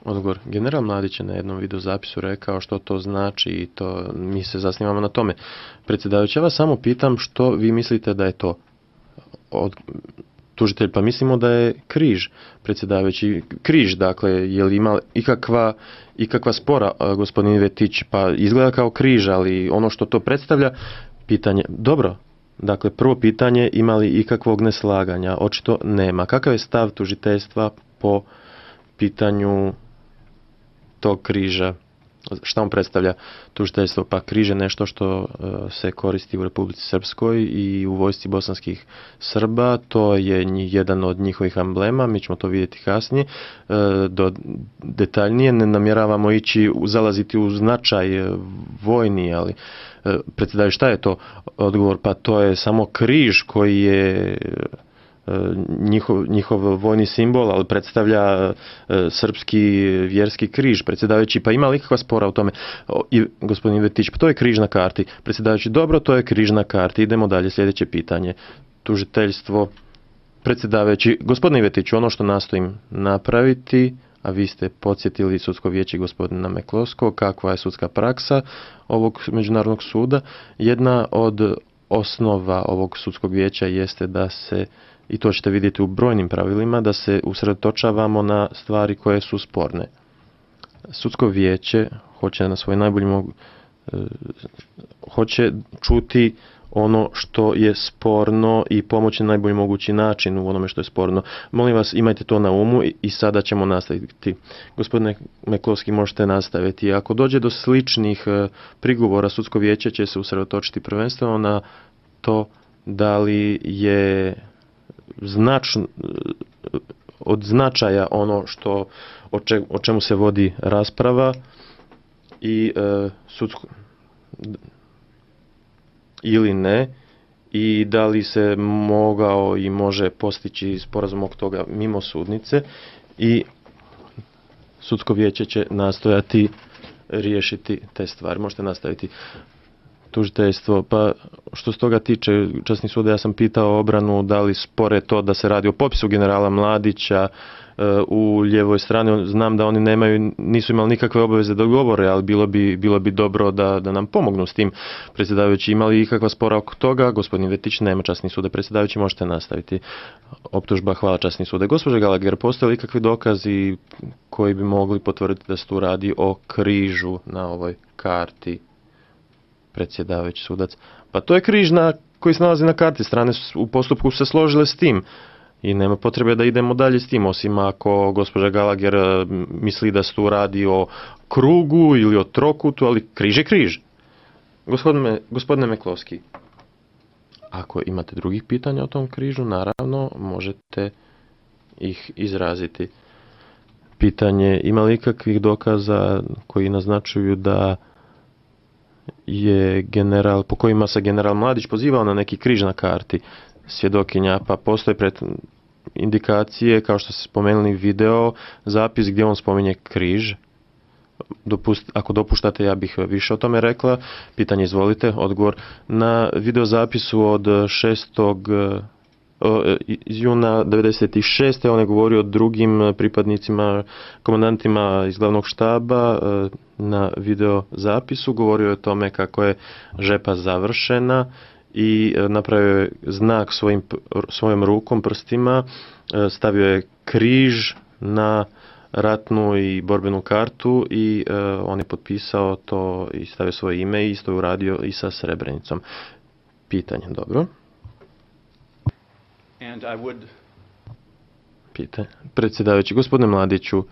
Odgovor. General Mladić je na jednom videozapisu rekao što to znači i to mi se zasnivamo na tome. Predsjedavajući, ja vas samo pitam što vi mislite da je to. Tužitelj, pa mislimo da je križ, predsjedavajući. Križ, dakle, je li ima ikakva spora, gospodin Ivetić, pa izgleda kao križ, ali ono što to predstavlja, pitanje, dobro, dakle, prvo pitanje, ima li ikakvog neslaganja? Očito nema. Kakav je stav tužiteljstva po pitanju tog križa? Šta on predstavlja tužiteljstvo? Pa križ je nešto što se koristi u Republici Srpskoj i u vojsci bosanskih Srba. To je jedan od njihovih emblema, mi ćemo to vidjeti kasnije. Detaljnije ne namjeravamo zalaziti u značaj vojni, ali predsjedavajući, šta je to? Odgovor, pa to je samo križ koji je njihov vojni simbol, ali predstavlja srpski vjerski križ. Predsjedavajući, pa ima li ikakva spora u tome? Gospodin Ivetić, pa to je križ na karti. Predsjedavajući, dobro, to je križ na karti. Idemo dalje, sljedeće pitanje. Tužiteljstvo, predsjedavajući, gospodin Ivetić, ono što nastojim napraviti, a vi ste podsjetili sudsko vijeće gospodina Meklovskog, kakva je sudska praksa ovog međunarodnog suda. Jedna od osnova ovog sudskog vijeća jeste da se, i to ćete vidjeti u brojnim pravilima, da se usredotočavamo na stvari koje su sporne. Sudsko vijeće hoće na svoj najbolji hoće čuti ono što je sporno i pomoći na najbolji mogući način u onome što je sporno. Molim vas, imajte to na umu i sada ćemo nastaviti. Gospodine Meklovski, možete nastaviti. Ako dođe do sličnih prigovora, sudsko vijeće će se usredotočiti prvenstveno na to da li je od značaja ono o čemu se vodi rasprava i ili ne, i da li se mogao i može postići sporazum oko toga mimo sudnice, i sudsko vijeće će nastojati riješiti te stvari. Možete nastaviti. Tužiteljstvo, pa što se toga tiče, časni sude, ja sam pitao obranu da li spore to da se radi o popisu generala Mladića u lijevoj strani. Znam da oni nisu imali nikakve obaveze da govore, ali bilo bi dobro da nam pomognu s tim. Predsjedavajući, imali ikakva spora oko toga? Gospodin Vetić, nema, časni sude. Predsjedavajući, možete nastaviti. Optužba, hvala, časni sude. Gospođa Gallagher, postoje li ikakvi dokazi koji bi mogli potvrditi da se tu radi o križu na ovoj karti? Predsjedavajući, sudac, pa to je križ koji se nalazi na karti. Strane u postupku se složile s tim i nema potrebe da idemo dalje s tim, osim ako gospođa Gallagher misli da se tu radi o krugu ili o trokutu, ali križ je križ. Gospodine Meklovski, ako imate drugih pitanja o tom križu, naravno možete ih izraziti. Pitanje, ima li ikakvih dokaza koji naznačuju da je po kojima se general Mladić pozivao na neki križ na karti? Svjedokinja, pa postoje indikacije, kao što ste spomenuli, video zapis gdje on spominje križ. Ako dopuštate, ja bih više o tome rekla. Pitanje, izvolite, odgovor. Na videozapisu od 6. juna 96. on je govorio o drugim pripadnicima, komandantima iz glavnog štaba. Na videozapisu govorio je o tome kako je žepa završena i napravio je znak svojom rukom, prstima, stavio je križ na ratnu i borbenu kartu i on je potpisao to i stavio svoje ime i isto je uradio i sa Srebrenicom. Pitanje, dobro. Predsjedavajući, gospodine Mladiću,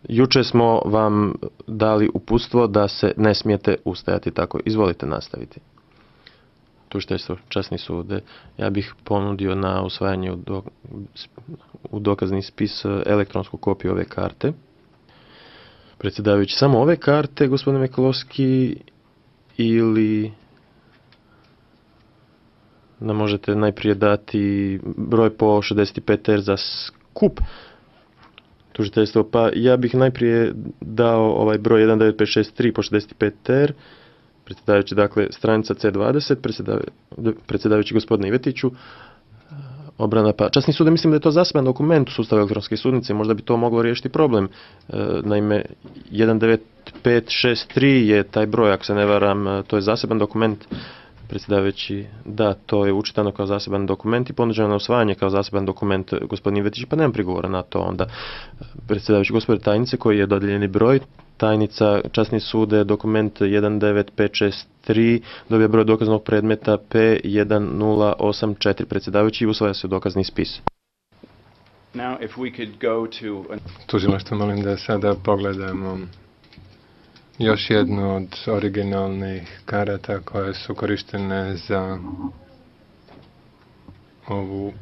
jučer smo vam dali uputstvo da se ne smijete ustajati tako. Izvolite nastaviti. Tužiteljstvo, časni sude, ja bih ponudio na usvajanje u dokazni spis elektronsku kopiju ove karte. Predsjedavajući, samo ove karte, gospodine Meklovski, ili nam možete najprije dati broj po 65R za skup? Tužiteljstvo, pa ja bih najprije dao ovaj broj 19563 po 65R. Predsjedavajući, dakle, stranica C20, predsjedavajući gospodine Ivetiću, obrana. Pa časni sud, mislim da je to zaseban dokument u sustavu elektronske sudnice, možda bi to moglo riješiti problem. Naime, 19563 je taj broj, ako se ne varam, to je zaseban dokument. Predsjedavajući, da, to je učitano kao zaseban dokument i ponuđeno na usvajanje kao zaseban dokument gospodin Ivetić, pa nemam prigovora na to onda. Predsjedavajući, gospodine tajnice, koji je dodijeljeni broj, tajnica časni sude, dokument 19563, dobija broj dokaznog predmeta P1084. Predsjedavajući, usvaja se dokazni spis. Now, if we could go to... Tužilaštvo, molim da sada pogledamo još jednu od originalnih karata koje su korištene za ovu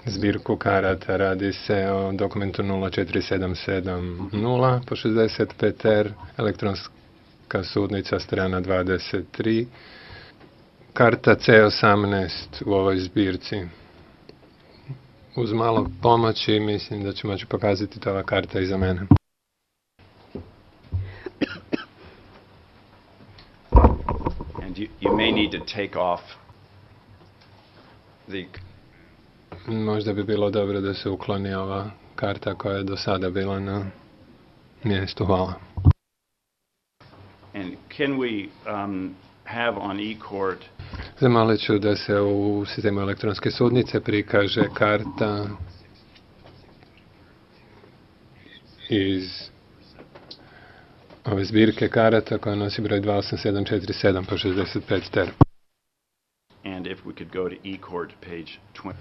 zbirku karata. Radi se o dokumentu 04770 po 65R, elektronska sudnica, strana 23, karta C18 u ovoj zbirci. Uz malo pomoći mislim da ću moći pokazati to ova karta iza mene. You may need to take off the... Možda bi bilo dobro da se ukloni ova karta koja je do sada bila na mjestu. Hvala. And can we have on e-court... Zamolit ću da se u sistemu elektronske sudnice prikaže karta iz ove zbirke karata koja nosi broj 28747 po 65R. And if we could go to e-court page 20.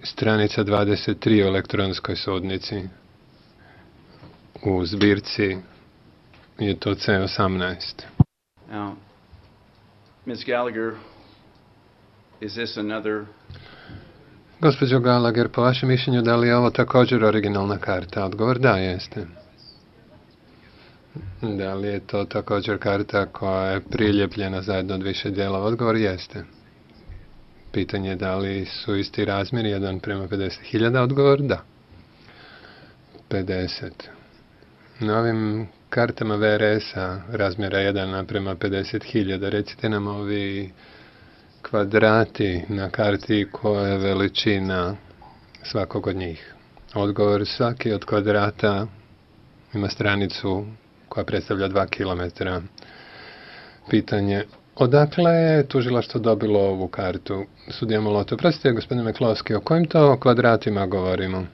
Stranica 23 u elektronskoj sudnici. U zbirci je to C18. Now, Ms. Gallagher, is this another... Gospođo Gallagher, po vašem mišljenju, da li je ovo također originalna karta? Odgovor da, jeste. Da li je to također karta koja je priljepljena zajedno od više dijelova? Odgovor jeste. Pitanje je da li su isti razmjeri 1:50.000? Odgovor da. 50. Na ovim kartama VRS-a razmjera 1:50.000, recite nam ovi kvadrati na karti koja je veličina svakog od njih. Odgovor, svaki od kvadrata ima stranicu koja predstavlja 2 km. Pitanje, odakle je tužilaštvo dobilo ovu kartu? Sudija Molotov, prostite, gospodine Meklovski, o kojim to kvadratima govorimo?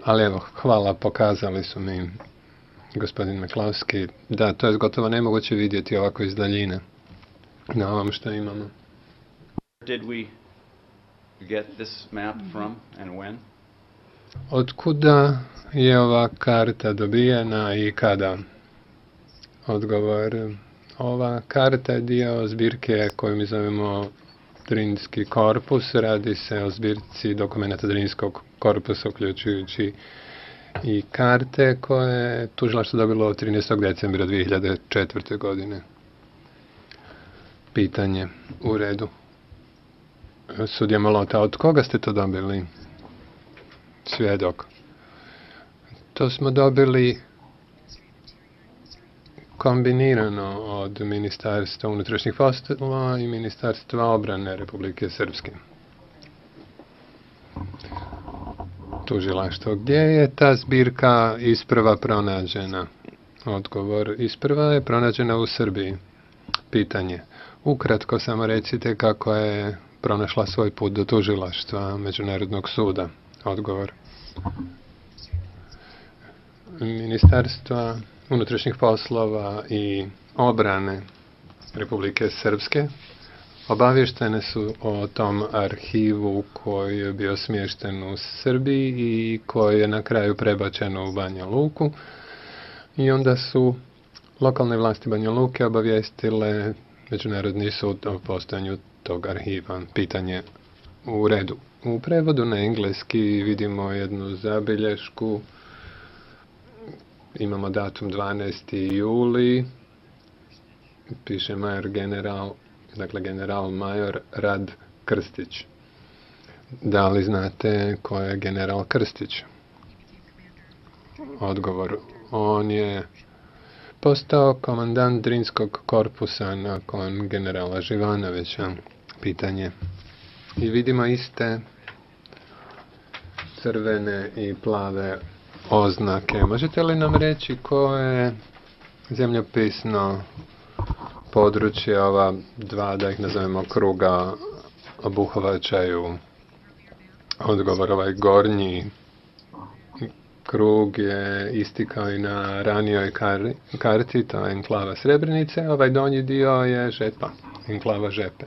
Ali evo, hvala, pokazali su mi, gospodin Meklovski. Da, to je gotovo nemoguće vidjeti ovako iz daljine na ovom što imamo. Did we get this map from and when? Otkuda je ova karta dobijena i kada? Odgovor, ova karta je dio zbirke koju mi zovemo Drinski korpus. Radi se o zbirci dokumenta Drinskog korpusa, uključujući i karte koje je tužilaštvo dobilo od 13. decembra 2004. godine. Pitanje, u redu. Sudija Molota, od koga ste to dobili? Svjedok. To smo dobili kombinirano od Ministarstva unutrašnjih poslova i Ministarstva obrane Republike Srpske. Tužilaštvo, gdje je ta zbirka isprva pronađena? Odgovor, isprva je pronađena u Srbiji. Pitanje, ukratko samo recite kako je pronašla svoj put do tužilaštva Međunarodnog suda. Odgovor, Ministarstva unutrašnjih poslova i obrane Republike Srpske obavještene su o tom arhivu koji je bio smješten u Srbiji i koji je na kraju prebačen u Banja Luku. I onda su lokalne vlasti Banja Luke obavijestile Međunarodni sud o postojanju tog arhiva. Pitanje, u redu. U prevodu na engleski vidimo jednu zabilješku. Imamo datum 12. juli. Piše major general, dakle general major Rad Krstić. Da li znate ko je general Krstić? Odgovor, on je postao komandant Drinskog korpusa nakon generala Živanovića. Pitanje. I vidimo iste crvene i plave oznake. Možete li nam reći koje zemljopisno područje ova dva, da ih nazovemo kruga, obuhvaćaju? Odgovor, ovaj gornji krug je isti kao i na ranijoj karti, to je enklava Srebrenice, ovaj donji dio je Žepa, enklava Žepe.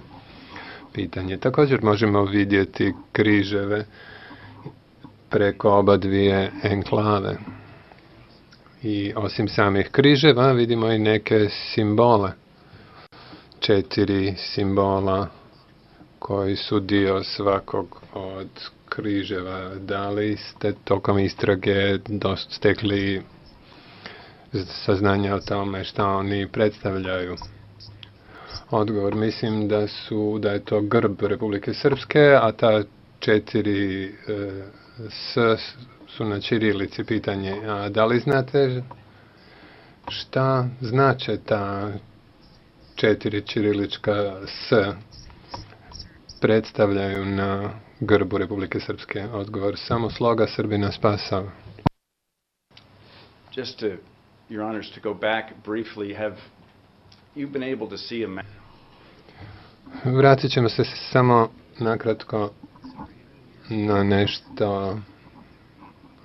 Pitanje. Također možemo vidjeti križeve preko oba dvije enklave. I osim samih križeva vidimo i neke simbole. 4 simbola koji su dio svakog od križeva. Da li ste tokom istrage stekli saznanja o tome šta oni predstavljaju? Odgovor, mislim da je to grb Republike Srpske, a ta 4 S su na ćirilici. Pitanje. A da li znate šta znače ta 4 ćirilička S predstavljaju na grbu Republike Srpske? Odgovor, samo sloga Srbina spasao. Just to, Your Honors, to go back briefly, have you been able to see a map? Vratit ćemo se samo nakratko na nešto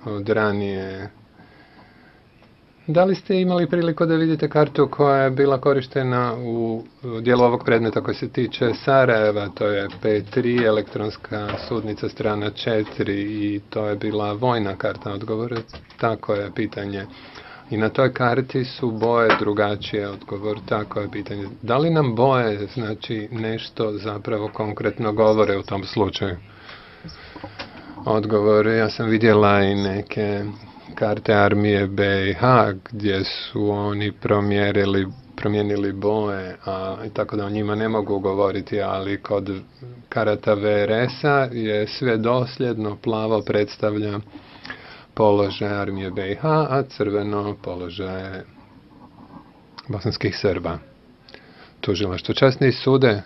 od ranije. Da li ste imali priliku da vidite kartu koja je bila korištena u dijelu ovog predmeta koji se tiče Sarajeva? To je P3, elektronska sudnica strana 4 i to je bila vojna karta. Odgovor, tako je pitanje. I na toj karti su boje drugačije. Odgovor, tako je pitanje. Da li nam boje znači nešto zapravo konkretno govore u tom slučaju? Odgovor, ja sam vidjela i neke karte armije BiH gdje su oni promijenili boje, tako da o njima ne mogu govoriti, ali kod karata VRS-a je sve dosljedno, plavo predstavlja položaj armije BiH, a crveno položaj bosanskih Srba. Tužilaštvo, časni sude,